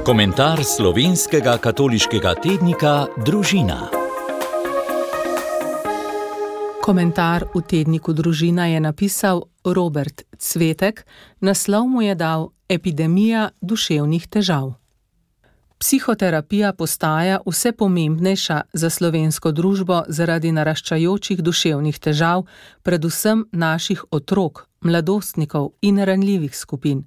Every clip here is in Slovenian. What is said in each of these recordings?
Komentar slovenskega katoliškega tednika Družina. Komentar v tedniku Družina je napisal Robert Cvetek, naslov mu je dal Epidemija duševnih težav. Psihoterapija postaja vse pomembnejša za slovensko družbo zaradi naraščajočih duševnih težav, predvsem naših otrok, mladostnikov in ranljivih skupin.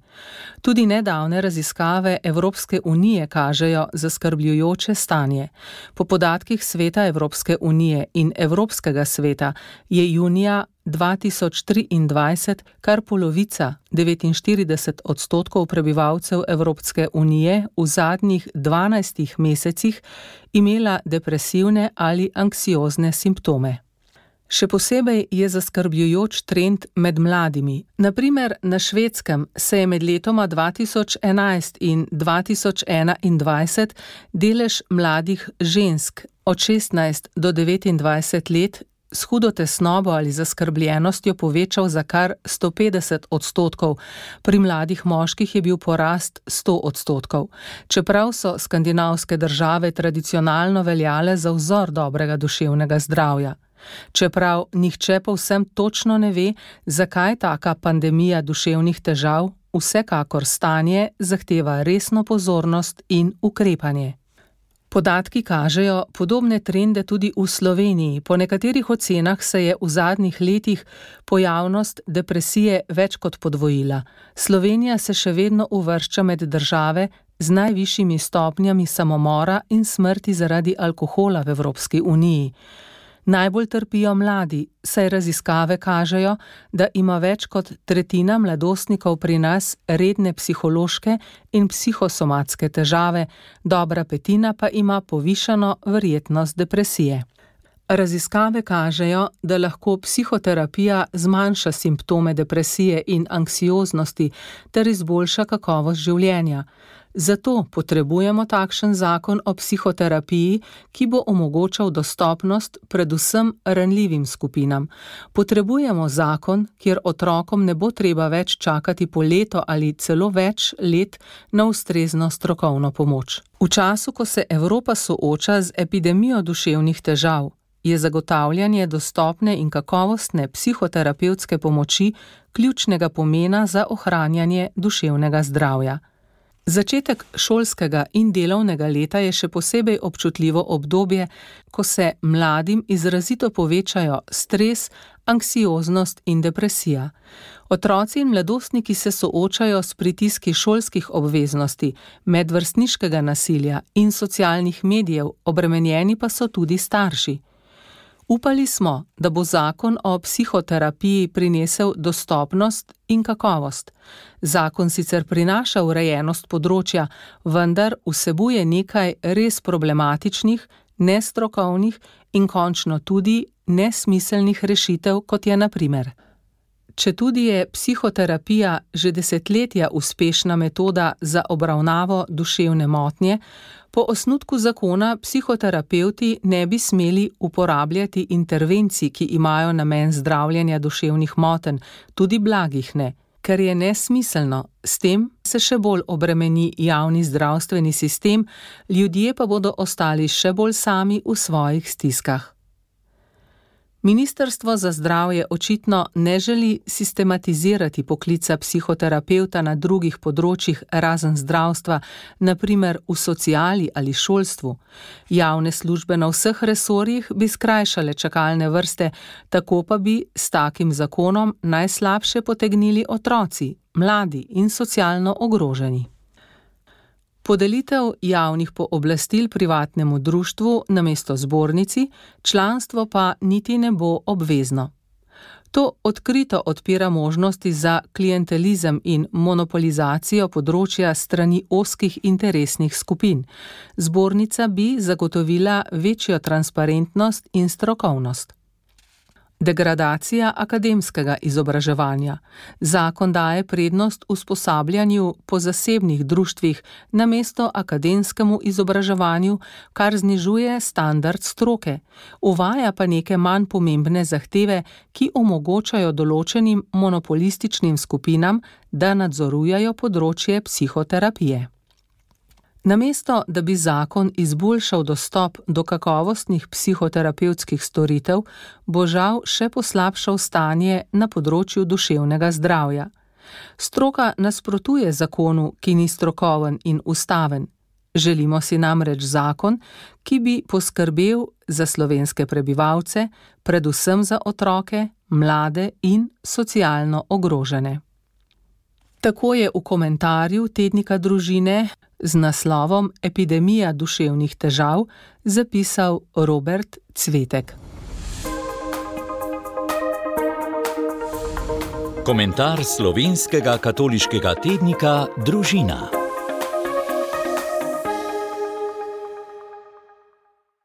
Tudi nedavne raziskave Evropske unije kažejo zaskrbljujoče stanje. Po podatkih Sveta Evropske unije in Evropskega sveta je junija 2023 kar polovica, 49% prebivalcev Evropske unije v zadnjih 12 mesecih imela depresivne ali anksiozne simptome. Še posebej je zaskrbljujoč trend med mladimi. Na primer, na Švedskem se je med letoma 2011 in 2021 delež mladih žensk od 16 do 29 let s hudo tesnobo ali zaskrbljenostjo povečal za kar 150%, pri mladih moških je bil porast 100%, čeprav so skandinavske države tradicionalno veljale za vzor dobrega duševnega zdravja. Čeprav nihče povsem točno ne ve, zakaj taka pandemija duševnih težav, vsekakor stanje zahteva resno pozornost in ukrepanje. Podatki kažejo podobne trende tudi v Sloveniji. Po nekaterih ocenah se je v zadnjih letih pojavnost depresije več kot podvojila. Slovenija se še vedno uvršča med države z najvišjimi stopnjami samomora in smrti zaradi alkohola v Evropski uniji. Najbolj trpijo mladi, saj raziskave kažejo, da ima več kot tretjina mladostnikov pri nas redne psihološke in psihosomatske težave, dobra petina pa ima povišano verjetnost depresije. Raziskave kažejo, da lahko psihoterapija zmanjša simptome depresije in anksioznosti ter izboljša kakovost življenja. Zato potrebujemo takšen zakon o psihoterapiji, ki bo omogočal dostopnost predvsem ranljivim skupinam. Potrebujemo zakon, kjer otrokom ne bo treba več čakati po leto ali celo več let na ustrezno strokovno pomoč. V času, ko se Evropa sooča z epidemijo duševnih težav, je zagotavljanje dostopne in kakovostne psihoterapevtske pomoči ključnega pomena za ohranjanje duševnega zdravja. Začetek šolskega in delovnega leta je še posebej občutljivo obdobje, ko se mladim izrazito povečajo stres, anksioznost in depresija. Otroci in mladostniki se soočajo s pritiski šolskih obveznosti, medvrstniškega nasilja in socialnih medijev, obremenjeni pa so tudi starši. Upali smo, da bo zakon o psihoterapiji prinesel dostopnost in kakovost. Zakon sicer prinaša urejenost področja, vendar vsebuje nekaj res problematičnih, nestrokovnih in končno tudi nesmiselnih rešitev, kot je na primer. Četudi je psihoterapija že desetletja uspešna metoda za obravnavo duševne motnje, po osnutku zakona psihoterapevti ne bi smeli uporabljati intervencij, ki imajo namen zdravljenja duševnih motenj, tudi blagih ne, ker je nesmiselno. S tem se še bolj obremeni javni zdravstveni sistem, ljudje pa bodo ostali še bolj sami v svojih stiskah. Ministrstvo za zdravje očitno ne želi sistematizirati poklica psihoterapevta na drugih področjih razen zdravstva, na primer v sociali ali šolstvu. Javne službe na vseh resorjih bi skrajšale čakalne vrste, tako pa bi s takim zakonom najslabše potegnili otroci, mladi in socialno ogroženi. Podelitev javnih pooblastil privatnemu društvu namesto zbornici, članstvo pa niti ne bo obvezno. To odkrito odpira možnosti za klientelizem in monopolizacijo področja strani ozkih interesnih skupin. Zbornica bi zagotovila večjo transparentnost in strokovnost. Degradacija akademskega izobraževanja. Zakon daje prednost usposabljanju po zasebnih društvih namesto akademskemu izobraževanju, kar znižuje standard stroke. Uvaja pa neke manj pomembne zahteve, ki omogočajo določenim monopolističnim skupinam, da nadzorujejo področje psihoterapije. Namesto, da bi zakon izboljšal dostop do kakovostnih psihoterapevtskih storitev, bo žal še poslabšal stanje na področju duševnega zdravja. Stroka nasprotuje zakonu, ki ni strokoven in ustaven. Želimo si namreč zakon, ki bi poskrbel za slovenske prebivalce, predvsem za otroke, mlade in socialno ogrožene. Tako je v komentarju tednika Družine z naslovom Epidemija duševnih težav zapisal Robert Cvetek. Komentar slovenskega katoliškega tednika Družina.